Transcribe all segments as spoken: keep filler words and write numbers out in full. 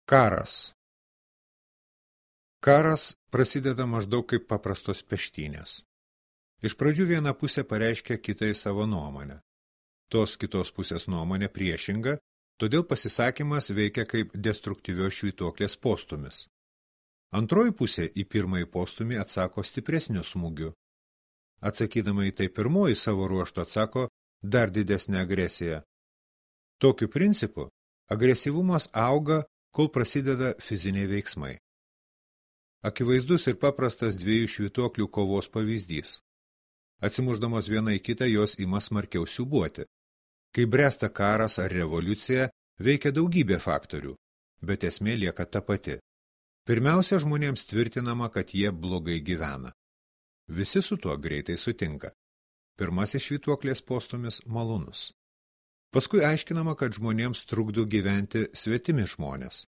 Karas. Karas prasideda maždaug kaip paprastos peštynės. Iš pradžių viena pusė pareiškia kitai savo nuomonę. Tos kitos pusės nuomonė priešinga, todėl pasisakymas veikia kaip destruktyvios švytuoklės postumis. Antroji pusė į pirmąjį postumį atsako stipresniu smūgiu. Atsakydama į tai pirmoji savo ruožtu atsako dar didesnę agresiją. Tokiu principu agresyvumas auga, kol prasideda fiziniai veiksmai. Akivaizdus ir paprastas dviejų švytuoklių kovos pavyzdys. Atsimušdamos viena į kitą, jos ima smarkiau siūbuoti. Kai bręsta karas ar revoliucija, veikia daugybė faktorių, bet esmė lieka ta pati. Pirmiausia, žmonėms tvirtinama, kad jie blogai gyvena. Visi su tuo greitai sutinka. Pirmasis švytuoklės postumis malonus. Paskui aiškinama, kad žmonėms trukdo gyventi svetimi žmonės.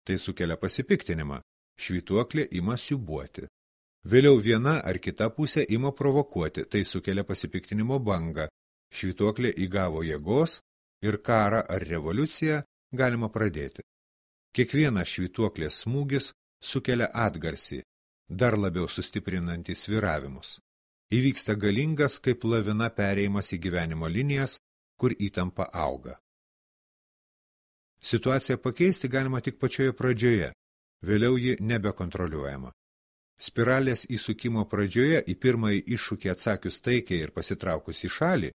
Tai sukelia pasipiktinimą. Švytuoklė ima siūbuoti. Vėliau viena ar kita pusė ima provokuoti. Tai sukelia pasipiktinimo bangą. Švytuoklė įgavo jėgos ir karą ar revoliuciją galima pradėti. Kiekvienas švytuoklės smūgis sukelia atgarsį, dar labiau sustiprinantį sviravimus. Įvyksta galingas kaip lavina perėjimas į gyvenimo linijas, kur įtampa auga. Situaciją pakeisti galima tik pačioje pradžioje, vėliau ji nebekontroliuojama. Spiralės įsukimo pradžioje į pirmąjį iššūkį atsakius taikiai ir pasitraukus į šalį,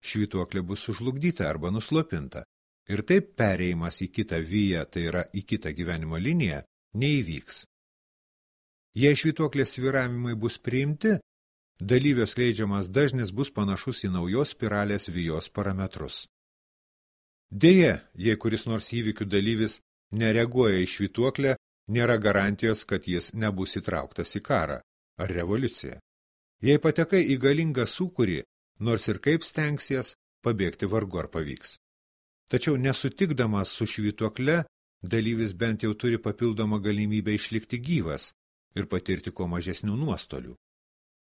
švytuoklė bus sužlugdyta arba nuslopinta, ir taip perėjimas į kitą viją, tai yra į kitą gyvenimo liniją, neįvyks. Jei švytuoklės svyravimai bus priimti, dalyvio skleidžiamas dažnis bus panašus į naujos spiralės vijos parametrus. Deja, jei kuris nors įvykių dalyvis nereaguoja į švytuoklę, nėra garantijos, kad jis nebus įtrauktas į karą ar revoliuciją. Jei patekai į galingą sūkurį, nors ir kaip stengsies, pabėgti vargu ar pavyks. Tačiau nesutikdamas su švytuokle, dalyvis bent jau turi papildomą galimybę išlikti gyvas ir patirti kuo mažesnių nuostolių.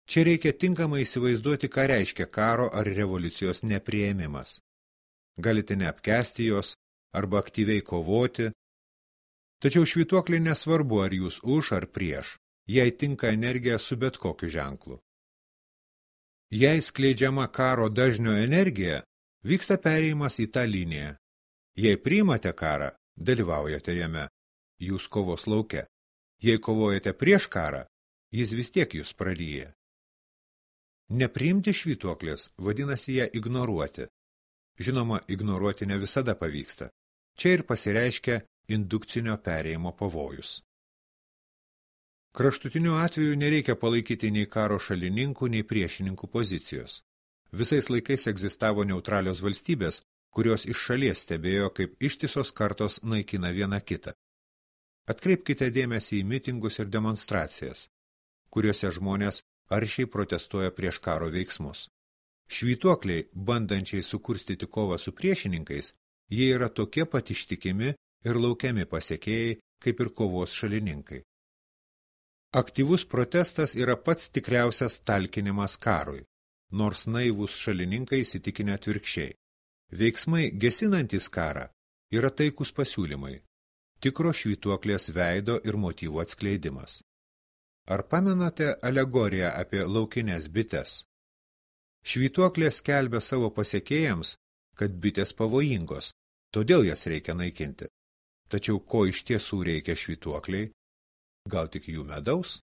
Čia reikia tinkamai įsivaizduoti, ką reiškia karo ar revoliucijos nepriėmimas. Galite neapkęsti jos arba aktyviai kovoti. Tačiau švytuoklė nesvarbu, ar jūs už ar prieš, jai tinka energija su bet kokiu ženklu. Jei skleidžiama karo dažnio energija, vyksta perėjimas į tą liniją. Jei priimate karą, dalyvaujate jame, jūs kovos lauke. Jei kovojate prieš karą, jis vis tiek jūs praryja. Nepriimti švytuoklės vadinasi ją ignoruoti. Žinoma, ignoruoti ne visada pavyksta. Čia ir pasireiškia indukcinio perėjimo pavojus. Kraštutiniu atveju nereikia palaikyti nei karo šalininkų, nei priešininkų pozicijos. Visais laikais egzistavo neutralios valstybės, kurios iš šalies stebėjo, kaip ištisos kartos naikina vieną kitą. Atkreipkite dėmesį į mitingus ir demonstracijas, kuriuose žmonės aršiai protestuoja prieš karo veiksmus. Švytuokliai, bandančiai sukurstyti kovą su priešininkais, jie yra tokie pat ištikimi ir laukiami pasiekėjai, kaip ir kovos šalininkai. Aktyvus protestas yra pats tikriausias talkinimas karui, nors naivūs šalininkai įsitikinę atvirkščiai. Veiksmai gesinantys karą yra taikus pasiūlymai, tikro švytuoklės veido ir motyvų atskleidimas. Ar pamenate alegoriją apie laukinės bites? Švytuoklė skelbia savo pasiekėjams, kad bitės pavojingos, todėl jas reikia naikinti. Tačiau ko iš tiesų reikia švytuokliai? Gal tik jų medaus?